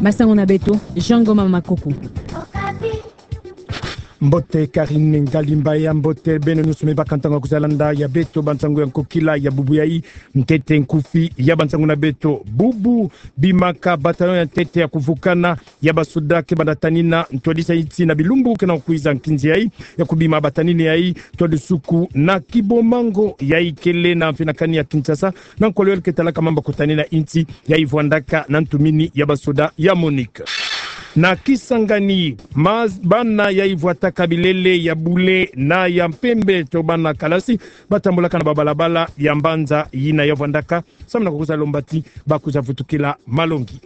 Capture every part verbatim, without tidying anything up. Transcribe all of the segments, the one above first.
Masangu na beto, Jean Ngoma Makoko. Mbote Karine Ngalimba ya mbote beno nyonso me baka ntangu ya kwiza landa ya beto bansangu ya nkokila ya bubu yayi. Ntete nkufi ya bansangu na beto. Bubu bimaka bataillon ya ntete ya kuvukana ya basoda ke banda tanina ntwadisi ya insi na bilumbu ke na kwiza nkinzi yayi, ya kubima batanini yayi, ntwadisuku na Kibomango yayi kele na mfinakani ya Kinshasa, na nkolo yalu ke talaka mambu ya kutanina insi yayi vwandaka na ntumini ya basoda ya MONUC. Na Kisangani, ma-, bana yayi vwataka bilele ya bule na ya mpembe to bana kalasi, batambulaka na babalabala ya mbanza yina ya vwandaka, samu na kukwiza lomba ti bakwiza vutukila malongi.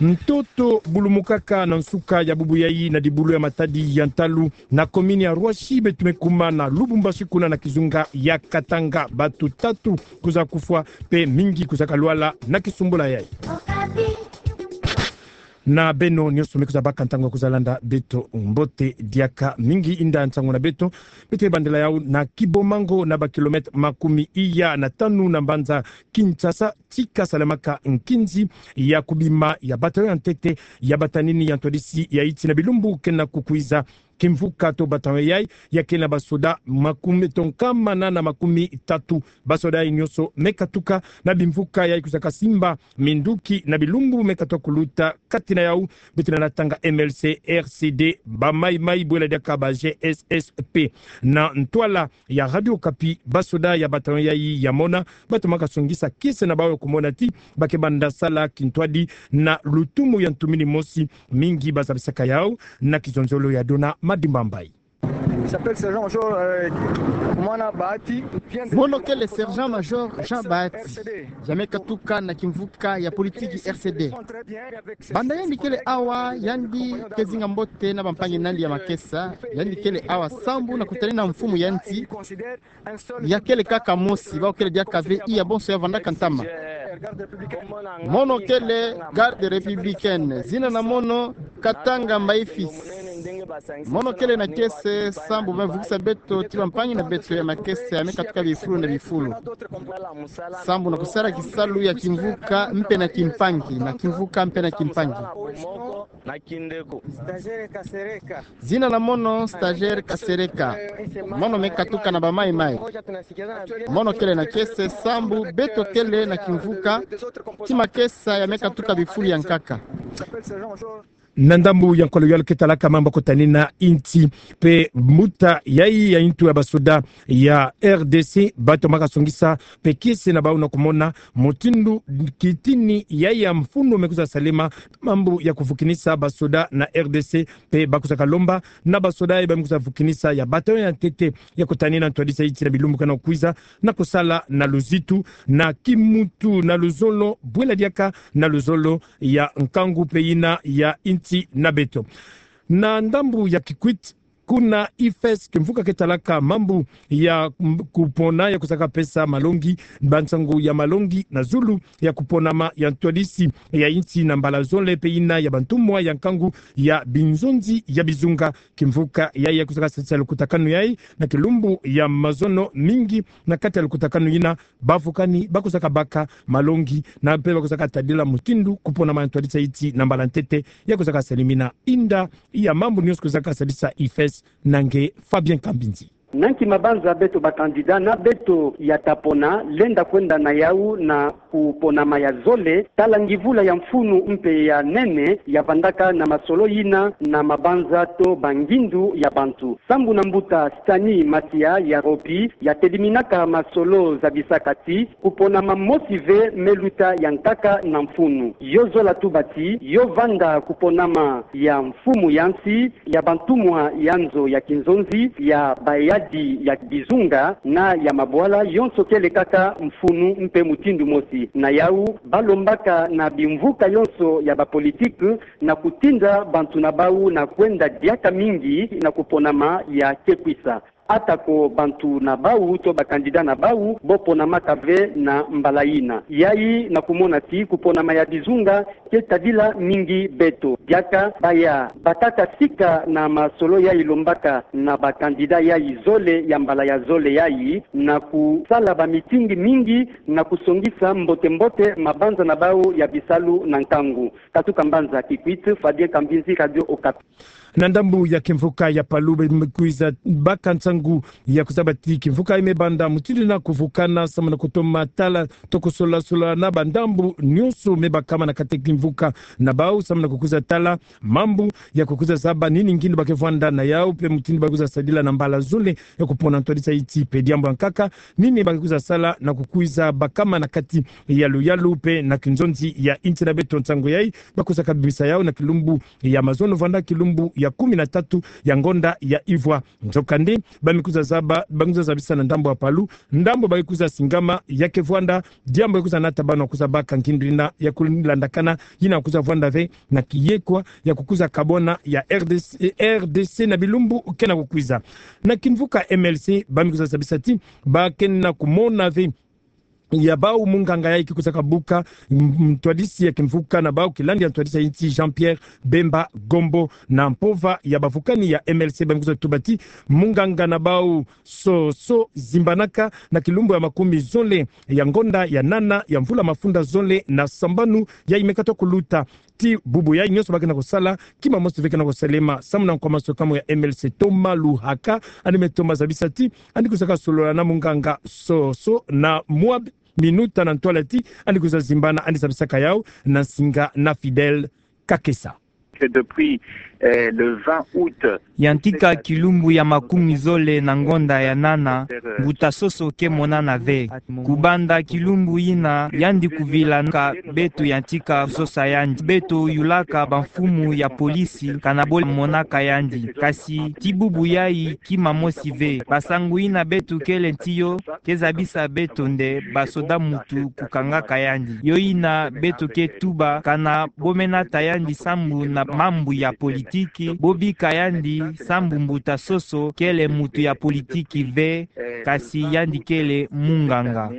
Ntoto bulumukaka na nsuka ya bubu yayi na dibulu ya matadi ya ntalu na komini ya Rwashi, beto me kuma na Lubumbashi kuna na kizunga ya Katanga. Batu tatu kwiza kufwa, mpe mingi kwiza kalwala na kisumbula yayi. Na beno nyonso me kwiza baka ntangu ya kwiza landa beto, mbote diaka mingi. Inda nsangu na beto, beto me bandela yawu na Kibomango, na ba kilomètre makumi iya na tanu na mbanza Kinshasa, tika salemaka nkinzi ya kubima ya bataillon ya ntete ya batanini ya ntwadisi ya insi na bilumbu ke na kukwiza. Kimvuka to bataillon yayi, ya kele na basoda makumi to nkama nana na makumi tatu. Basoda yayi nyonso me katuka na bimvuka yayi kwizaka simba minduki na bilumbu me katuka kuluta. Kati na yawu, beto na tanga M L C, R C D, ba Mai Mai, bwela diaka ba G S S P. Na ntwala ya Radio Okapi, basoda ya bataillon yayi ya mona, batumaka songisa kiese na bawu ya kumona ti ba ke banda sala kintwadi na lutumu ya ntumini mosi. Mingi bazabisaka yawu na kizonzolo ya Dona Madimba Mbayi. Il s'appelle Sergent-Major, euh, Mono kele Sergent-Major Jean Bahati. Ya me katuka na kimvuka ya politiki R C D. Banda yandi kele awa, yandi ke zinga mbote na bampangi na yandi ya makesa. Yandi kele awa sambu na kutanina mfumu ya nsi. Ya kele kaka mosi, bawu kele diaka ve iya bonso ya vandaka ntama. Mono kele garde républicaine, zina na mono Katanga Mbaifis. Mono kele na kiese sambu me vukisa beto ti bampangi na beto ya makesa ya me katuka bifulu na bifulu, sambu na kusala kisalu ya kimvuka mpe na kimpangi, na kimvuka mpe na kimpangi. Zina na mono Stagiaire Kasereka. Mono me katuka na ba Mai Mai. Mono kele na kiese sambu beto kele na kimvuka ti makesa ya me katuka bifulu ya nkaka. Na ndambu ya nkolo yalu ke talaka mambu ya kutanina insi mpe mbuta yayi ya ntu ya basoda ya R D C, batumaka songisa mpe kiese na bawu na kumona mutindu kitini yayi ya mfunu me kwiza salema, mambu ya kuvukinisa basoda na R D C, mpe bakwizaka lomba na basoda yayi ba me kwiza vukinisa ya bataillon ya ntete ya kutanina ntwadisi ya insi na bilumbu ke na kwiza, na kusala na luzitu, na kimuntu, na luzolo, bwela diaka na luzolo ya nkangu mpe yina ya insi na beto. Na ndambu ya Kikwit, kuna IFES, kimvuka ke talaka mambu ya m-, kupona, ya kusaka pesa malongi, bansangu ya malongi na zulu ya kuponama ya ntwadisi ya insi na mbala zole mpe yina ya bantumwa ya nkangu ya binzonzi ya bizunga. Kimvuka yayi ya kusaka sadisa lukutakanu yayi na kilumbu ya mazono, mingi na kati ya lukutakanu yina bavukani bakusaka baka malongi, na mpe bakusaka tadila mutindu kuponama ya ntwadisi ya insi na mbala ntete ya kusaka salimina. Inda iya mambu nyonso kusaka sadisa IFES, na nge Fabien Kambinzi. Nanki mabanza beto ba candidat na beto ya ta pona lenda kwenda na yawu na kuponama ya zole, tala ngivula ya mfunu mpe ya nene ya vandaka na masolo yina na mabanza to bangindu ya bantu. Sambu na mbuta Stani Matia ya Ropi, ya tediminaka masolo, zabisaka ti kuponama mosi ve me luta ya nkaka na mfunu. Yo zola tuba ti yo vanda kuponama ya mfumu ya nsi, ya bantumwa ya nzo ya kinzonzi, ya bayadi ya bizunga na ya mabwala, yonso kele kaka mfunu mpe mutindu mosi. Na yawu, balombaka na bimvuka yonso ya ba politique na kutinda bantu na bawu na kwenda diaka mingi na kuponama ya kekwisa. Atako bantu na bau to ba candidat na bau bo ponamaka ve na mbala ina. Yayi na kumona ti kuponama ya bizunga ke tadila mingi beto. Diaka baya batata sika na masolo yayi lombaka na ba candidat yayi zole ya mbala ya zole yayi na kusala ba meeting mingi na kusongisa mbote-mbote mabanza na bau ya bisalu na nkangu. Katuka mbanza Kikwit, Fabien Kambinzi, Radio Okapi. Na ndambu ya kimvuka ya Palu, bamikwiza baka nsangu ya kuzaba ti kimvuka yayi me banda mutindu na kuvukana samu na kutoma tala to kusola-sola na bandambu nyonso me bakama na kati ya kimvuka na bau samu na kukwiza tala mambu ya kukwiza zaba nini ngindu ba ke vwanda na yau, pe mutindu ba kwiza sadila na mbala zole ya kupona ntwadisa iti pe diambu ya nkaka, nini ba ke kwiza sala na kukwiza bakama na kati ya luyalu pe na kinzonzi ya inti na beto. Nsangu yayi ba kwiza kabimisa yau na kilumbu ya mazono vwanda kilumbu ya kumi na tatu ya ngonda ya ivwa. Nzokande, bamikwiza zaba, bamikwiza zabisa na ndambu ya Palu, ndambu ba ke kwiza singama ya ke vwanda, diambu ya kwiza nata bana kwiza baka ngindu yina ya kulandakana, yina kwiza vwanda ve na kiyekwa ya kukwiza kabona ya R D C, R D C na bilumbu ke na kukwiza. Na kimvuka M L C, bamikwiza zabisa ti ba ke na kumona ve ya bau munganga yayi ke kwiza kabuka, m-, ntwadisi ya kimvuka na bau, kilandi ya ntwadisi ya inti Jean-Pierre Bemba Gombo. Na mpova ya bavukani ya M L C, bamikwiza tuba ti munganga na bau Soso zimbanaka na kilumbu ya makumi zole ya ngonda ya nana ya mvula mafunda zole na sambanu yayi me kata kuluta. Ti bubu yayi nyonso ba ke na kusala, kima mosi ve ke na kusalema. Samu na nkwa maswekamu ya M L C Thomas Luhaka, yandi me toma zabisa ti yandi kwiza kasolola na munganga Soso na mwa minuta na ntwala ti yandi kwiza zimbana, yandi zabisaka yau na nsinga na Fidèle Kakesa. Que depuis, euh, le vingt août, yantika kilumbu ya makumi zole na ngonda ya nana, mbuta Soso ke monana ve. Kubanda kilumbu yina, yandi kuvilanaka beto yantika sosa yandi. Beto yulaka bamfumu ya polisi, kana bo monaka yandi. Kasi ti bubu yayi kima mosi ve. Bansangu yina beto kele nti yo, ke zabisa beto nde basoda muntu kukangaka yandi. Yo yina beto ke tuba kana bo me nata yandi sambu na mambu ya politiki, bo bika yandi sambu mbuta Soso kele muntu ya politiki ve, kasi yandi kele munganga.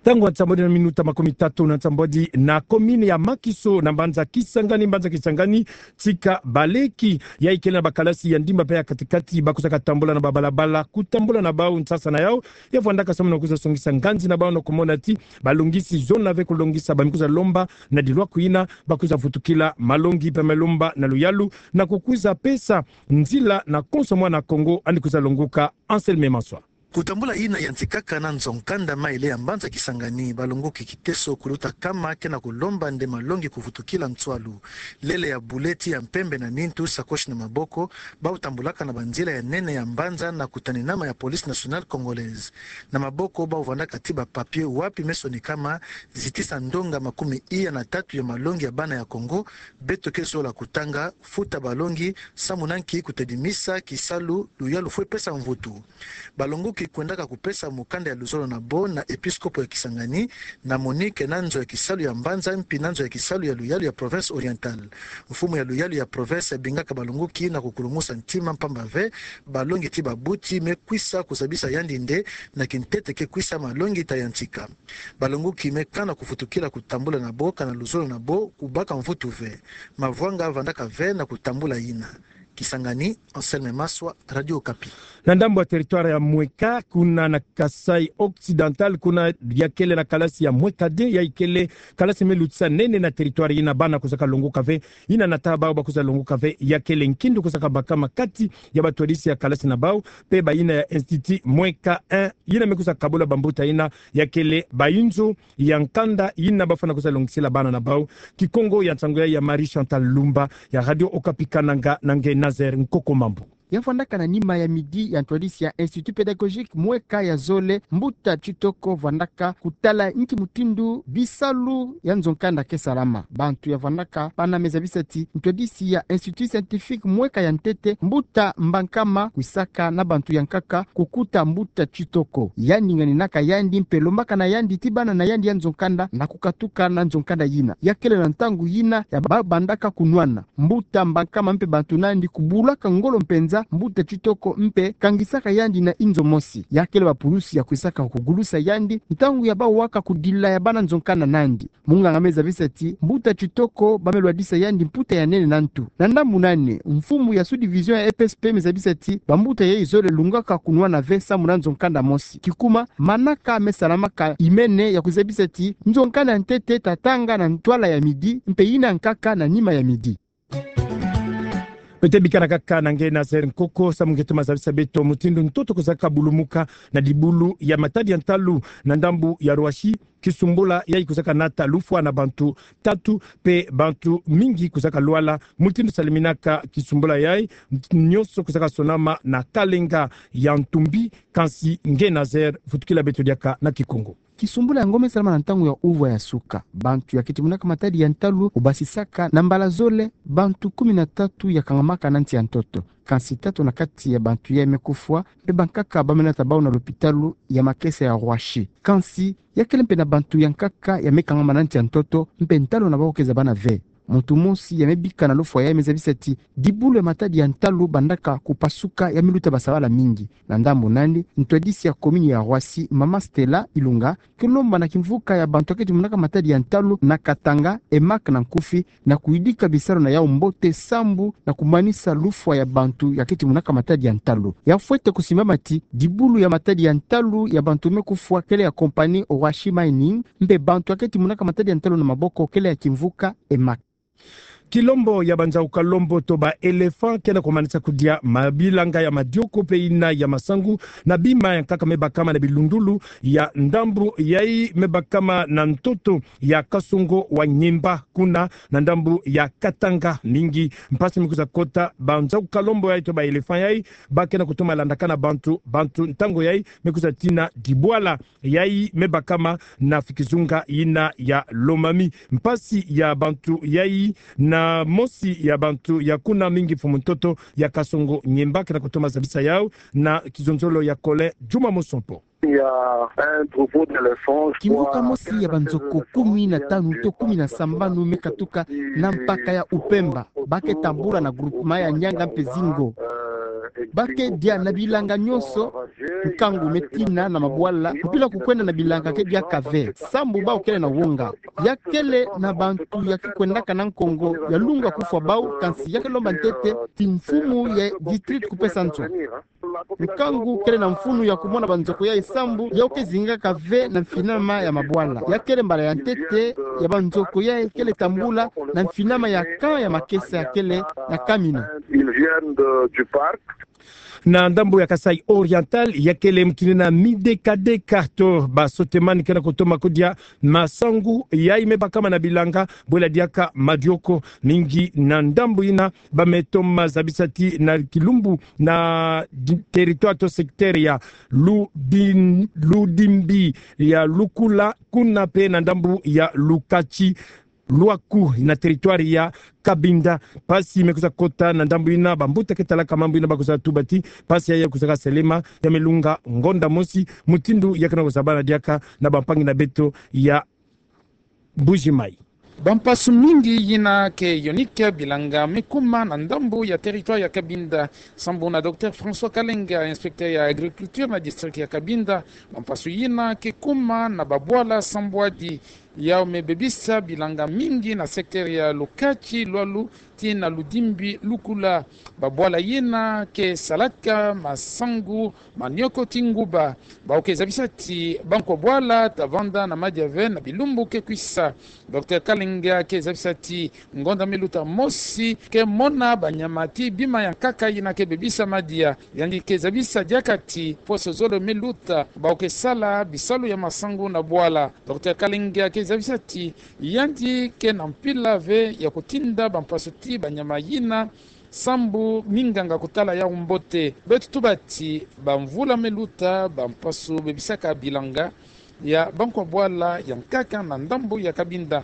Ntangu ya nsambwadi na minuta makumi tatu na nsambwadi na commune ya Makiso na mbanza Kisangani, mbanza Kisangani, tika baleki yayi kele na bakalasi ya ndimba pe ya kati-kati, ba kwiza katambula na babalabala, kutambula na bau nsasa na yau, ya vwandaka samu na kwiza songisa nganzi na bau na kumona ti balongisi zona ve kulongisa, ba me kwiza lomba na dilwaku yina ba kwiza vutukila malongi pe me lomba na luyalu, na kukwiza pesa nzila na konso mwana Kongo yandi kwiza longoka. Anselme Maswa. Kutambula yina yantikaka na nzo nkanda mayele ya mbanza Kisangani, balongoki kiteso kuluta kama ke na kulomba nde malongi kuvutukila nswalu. Lele ya bule ti ya mpembe na nintu, sakoshi na maboko, bau tambulaka na banzila ya nene ya mbanza na kutanenama ya Police Nationale Congolaise. Na maboko bau vwandaka ti ba papier wapi me sonikama zitisa ndonga makumi iya na tatu ya malongi ya bana ya Kongo, beto ke zola kutanga, futa balongi, samu na nki kutedimisa kisalu luyalu fwe pesa mvutu. Balongoki kwendaka kupesa mukanda ya luzolo na bo na episkopo ya Kisangani, na Monique na nzo ya kisalu ya mbanza, mpi na nzo ya kisalu ya luyalu ya province Orientale. Mfumu ya luyalu ya province yabingaka balongoki na kukulumusa ntima mpamba ve, balongi ti babuti me kwisa kuzabisa yandi nde na kintete ke kwisa malongi ta yantika. Balongoki me kana kuvutukila kutambula na bo, kana luzolo na bo kubaka mvutu ve. Mavwanga vandaka ve na kutambula yina. Kisangani, Anselme Maswa, Radio Okapi. Na ndambu ya territoire ya Mweka, kuna na Kasaï Occidental, kuna ya kele na kalasi ya Mweka deux, yayi kele kalasi me lutisa nene na territoire yina, bana kuzaka longoka ve, yina nata bau ba kwiza longoka ve, ya kele nkindu kuzaka bakama kati ya batwadisi ya kalasi na bau, pe bayina ya Institut Mweka un, yina me kwiza kabula bambuta yina, ya kele bayinzo ya nkanda yina bafwana kwiza longisila bana na bau. Kikongo ya nsangu ya, ya Marie Chantal Lumba, ya Radio Okapi Kananga, na nge Nazaire Nkoko Mambu. Ya vandaka na nima ya midi ya ntwadisi ya Institut Pédagogique Mweka ya zole, mbuta Tshitoko vandaka kutala nki mutindu bisalu ya nzo nkanda ke salama. Bantu ya vandaka bana me zabisa ti ntwadisi ya Institut Scientifique Mweka ya ntete, mbuta Mbankama kwisaka na bantu ya nkaka kukuta mbuta Tshitoko. Yandi nganinaka yandi mpe lombaka na yandi ti bana na yandi ya nzo nkanda na kukatuka na nzo nkanda yina. Ya kele na ntangu yina ya ba bandaka kunwana. Mbuta Mbankama mpe bantu na yandi kubulaka ngolo mpenza mbuta Tshitoko mpe kangisaka yandi na inzo mosi. Ya kele bapulusi ya kwisaka kugulusa yandi ntangu ya bawaka kudila ya bana nzo nkanda nandi. Munganga me zabisa ti mbuta Tshitoko ba me lwadisa yandi mputa ya nene na ntu. Na ndambu nani, mfumu ya sous-division ya E P S P me zabisa ti bambuta yayi zole lungaka kunwana ve samu na nzo nkanda mosi. Kikuma, manaka me salamaka imene ya kuzabisa ti nzo nkanda ya ntete tatanga na ntwala ya midi, mpe yina nkaka na nima ya midi. Beto bikana kaka na nge Nazaire Nkoko, samu nge toma zabisa beto mutindu ntoto kwizaka bulumuka na dibulu ya matadi ya ntalu na ndambu ya Roissy. Kisumbula yayi kwizaka nata lufwa na bantu tatu, mpe bantu mingi kwizaka lwala. Mutindu saliminaka kisumbula yayi, nyonso kwizaka sonama na Kalenga ya Ntumbi. Kansi nge Nazaire, vutukila beto diaka na Kikongo. Kisumbula yango me salama na ntangu ya uvwa ya suka. Bantu ya keti monaka matadi ya ntalu obasisaka na mbala zole bantu kumi na tatu ya kangamaka na nsi ya ntoto. Kansi tatu na kati ya bantu yayi me kufwa, mpe bankaka ba me nata bau na lopitalu ya makesa ya Roissy. Kansi ya kele mpe na bantu ya nkaka ya me kangama na nsi ya ntoto, mpe ntalu na bau ke zabana ve. Muntu mosi ya me bika na lufwa yayi me zabisa ti dibulu ya matadi ya ntalu bandaka kupasuka, ya me luta basabala mingi. Na ndambu nani, ntwadisi ya komini ya Roissy, mama Stella Ilunga, ke lomba na kimvuka ya bantu ya keti monaka matadi ya ntalu na Katanga, EMAC na nkufi, na kuyidika bisalu na yau mbote sambu na kumanisa lufwa ya bantu ya keti monaka matadi ya ntalu. Ya fwete kusimbama ti dibulu ya matadi ya ntalu ya bantu me kufwa kele ya compagnie Roissy Mining, mpe bantu ya keti monaka matadi ya ntalu na maboko kele ya kimvuka EMAC. Kilombo ya banzau kalembo to ba éléphant ke na kumanisa kudia mabilanga ya madioko mpe yina ya masangu na bima ya nkaka me bakama na bilundulu ya ndambu yayi me bakama na ntoto ya Kasongo wa Nyemba, kuna na ndambu ya Katanga. Mingi mpasi me kwiza kota banzau kalembo yayi to ba éléphant yayi, ba ke na kutoma landakana bantu, bantu ntangu yayi me kwiza tina dibwala yayi me bakama na fikizunga yina ya Lomami. Mpasi ya bantu yayi na mosi ya bantu ya kuna, mingi mfumu ntoto ya Kasongo Nyemba, ke na kutoma zabisa yau na kizonzolo ya Colin Djuma Mosompo. Il y a un troupeau d'éléphants, je crois, kimvuka mosi ya banzoko kumi na tanu to kumi na sambanu me katuka na mpaka ya Upemba. Ba ke tambula na groupement ya Nyanga mpe Zingo. Ba ke dia na bilanga nyonso, nkangu me tina na mabwala, mpila kukwenda na bilanga ke diaka ve, sambu bau kele na wonga. Ya kele na bantu ya ke kwendaka na nkongo, ya lunga kufwa bau, kansi ya ke lomba ntete ti mfumu ya district kupesa nzo. Nkangu kele na mfunu ya kumona banzoko yayi sambu yau ke zingaka ve na mfinama ya mabwala. Ya kele mbala ya ntete ya banzoko yayi kele tambula na mfinama ya camp ya makesa ya kele na Kamina. Ils viennent de, du parc. Na ndambu ya Kasaï Oriental, ya kele mukini na midekadeka to ba sotemani ke na kutoma kudia masangu yayi me bakama na bilanga, bwela diaka madioko. Mingi na ndambu yina ba me toma zabisa ti na kilumbu na di-, territoire to secteur ya Lubin-, Ludimbi, ya Lukula, kuna mpe na ndambu ya Lukatsi, Luaku, na territoire ya Cabinda. Mpasi me kwiza kota na ndambu yina, bambuta ke talaka mambu yina ba kwiza tuba ti mpasi yayi ya kwizaka selema, ya me lunga ngonda mosi, mutindu ya ke na kuzabana diaka na bampangi na beto ya Mbuji-Mayi. Bampasu mingi yina ke yonika bilanga me kuma na ndambu ya territoire ya Cabinda. Sambu na docteur François Kalenga, inspecteur ya agriculture na district ya Cabinda, bampasu yina ke kuma na babwala sambwadi yau me bebisa bilanga mingi na secteur ya Lukatsi, Lualu, tii na Ludimbi, Lukula. Babwala yina ke salaka masangu, manioko tii nguba. Bau ke zabisa ti bankwa bwala ta vanda na madiave na bilumbu ke kwisa. Docteur Kalenga ke zabisa ti ngonda me luta mosi ke mona banyama tii bima ya nkaka yina ke bebisa madia. Yandi ke zabisa diaka ti poso zole me luta, bau ke sala bisalu ya masangu na bwala. Docteur Kalenga ke zabisa ti yandi ke na mpila ve ya kutinda bampasu tii banyama yina, sambu minganga kutala yau mbote. Beto tuba ti bamvula me luta, bampasu bebisaka bilanga ya bankwa bwala ya nkaka na ndambu ya Cabinda.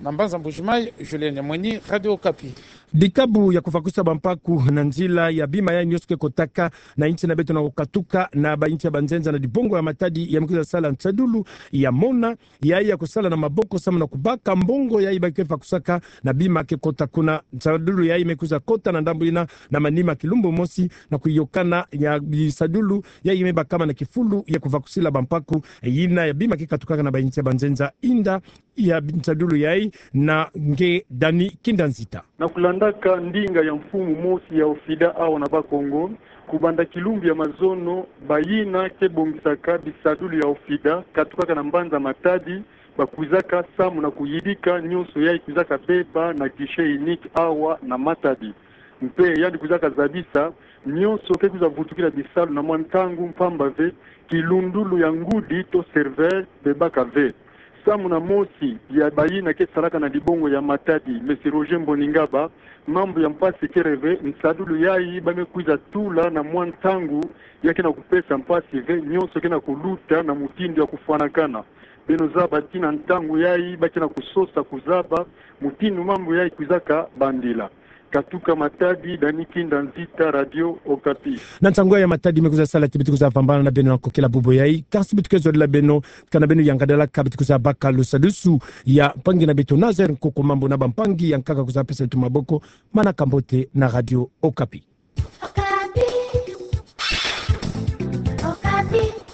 Na mbanza Mbuji-Mayi, Julien Nyamweni, Radio Okapi. Dikabu ya kuvakusa bampaku na nzila ya bima ya nyonso ke kotaka na insi na beto na kukatuka na bainsi ya banzenza na dibongo ya Matadi, ya me kwiza sala nsadulu ya mona, yayi ya kusala na maboko samu na kubaka mbongo yayi ba ke vakusaka na bima ke kota kuna. Nsadulu yayi me kwiza kota na ndambu yina na manima kilumbu mosi, na kuyokana ya bisadulu yayi me bakama na kifulu ya kuvakusila bampaku yina ya bima ke katukaka na bainsi ya banzenza. Inda ya nsadulu yayi na nge Dani Kinda Nzita. Na kulandaka ndinga ya mfumu mosi ya OFIDA awa na Bas-Congo, kubanda kilumbu ya mazono, bayina ke bongisaka bisadulu ya OFIDA katukaka na mbanza Matadi, bakwizaka samu na kuyidika nyonso yayi kwizaka beba na guichet unique awa na Matadi. Mpe yandi kwizaka zabisa nyonso ke kwiza vutukila bisalu na mwa ntangu, mpamba ve kilundulu ya ngudi to serveur bebaka ve. Samu na mosi ya bayina ke salaka na dibongo ya Matadi, Monsieur Roger Mboningaba, mambu ya mpasi kele ve, nsadulu yayi ba me kwiza tula na mwa ntangu ya ke na kupesa mpasi ve, nyonso ke na kuluta na mutindu ya kufwanakana. Beno zaba ti na ntangu yayi ba ke na kusosa kuzaba mutindu mambu yayi kwizaka bandila. Katuka Matadi, Dani Kinda Nzita, Radio Okapi. Na nsangu ya Matadi me kwiza sala ti beto kwiza vambana na beno na nkokila bubu yayi. Kasi beto ke zolila beno, kana beno yangadala ka beto kwiza baka lusadusu ya mpangi na beto Nazaire Nkoko Mambu na bampangi ya nkaka kwiza pesa beto maboko. Manaka mbote na Radio Okapi. Okapi. Okapi.